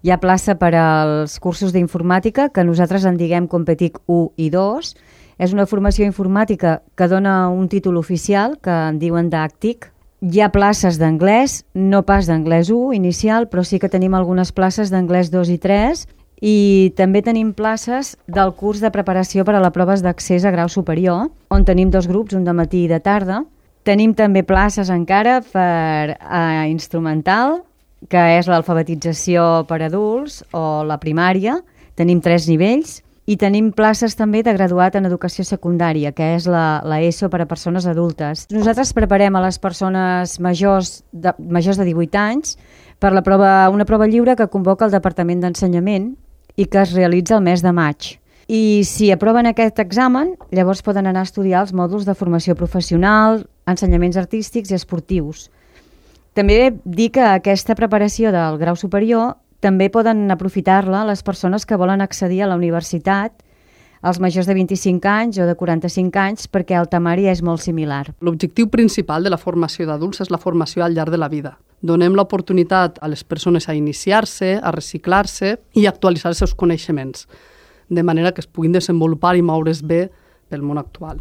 Hi ha plaça per als cursos d'informàtica, que nosaltres en diguem Competic 1 i 2. És una formació informàtica que dona un títol oficial, que en diuen d'ACTIC. Hi ha places d'anglès, no pas d'anglès 1 inicial, però sí que tenim algunes places d'anglès 2 i 3, i també tenim places del curs de preparació per a les proves d'accés a grau superior, on tenim 2 grups, un de matí i de tarda. Tenim també places encara per a instrumental, que és l'alfabetització per adults o la primària. Tenim 3 nivells. I tenim places també de graduat en educació secundària, que és la ESO per a persones adultes. Nosaltres preparem a les persones majors de 18 anys per una prova lliure que convoca el Departament d'Ensenyament i que es realitza el mes de maig. I si aproven aquest examen, llavors poden anar a estudiar els mòduls de formació professional, ensenyaments artístics i esportius. També dir que aquesta preparació del grau superior també poden aprofitar-la les persones que volen accedir a la universitat, els majors de 25 anys o de 45 anys, perquè el temari és molt similar. L'objectiu principal de la formació d'adults és la formació al llarg de la vida. Donem l'oportunitat a les persones a iniciar-se, a reciclar-se i a actualitzar els seus coneixements, de manera que es puguin desenvolupar i moure's bé pel món actual.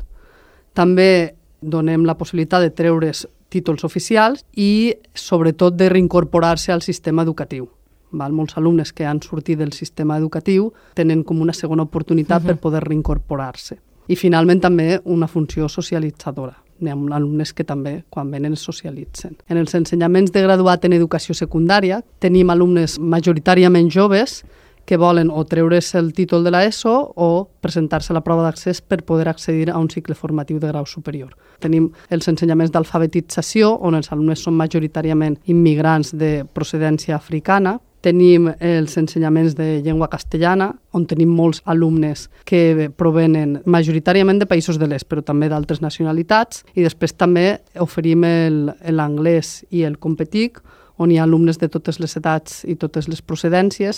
També donem la possibilitat de treure's títols oficials i, sobretot, de reincorporar-se al sistema educatiu. Molts alumnes que han sortit del sistema educatiu tenen com una segona oportunitat per poder reincorporar-se. I finalment també una funció socialitzadora. Hi ha alumnes que també, quan venen, es socialitzen. En els ensenyaments de graduat en educació secundària tenim alumnes majoritàriament joves que volen o treure's el títol de l'ESO o presentar-se a la prova d'accés per poder accedir a un cicle formatiu de grau superior. Tenim els ensenyaments d'alfabetització, on els alumnes són majoritàriament immigrants de procedència africana. Tenim els ensenyaments de llengua castellana, on tenim molts alumnes que provenen majoritàriament de països de l'est, però també d'altres nacionalitats. I després també oferim l'anglès i el Competic, on hi ha alumnes de totes les edats i totes les procedències,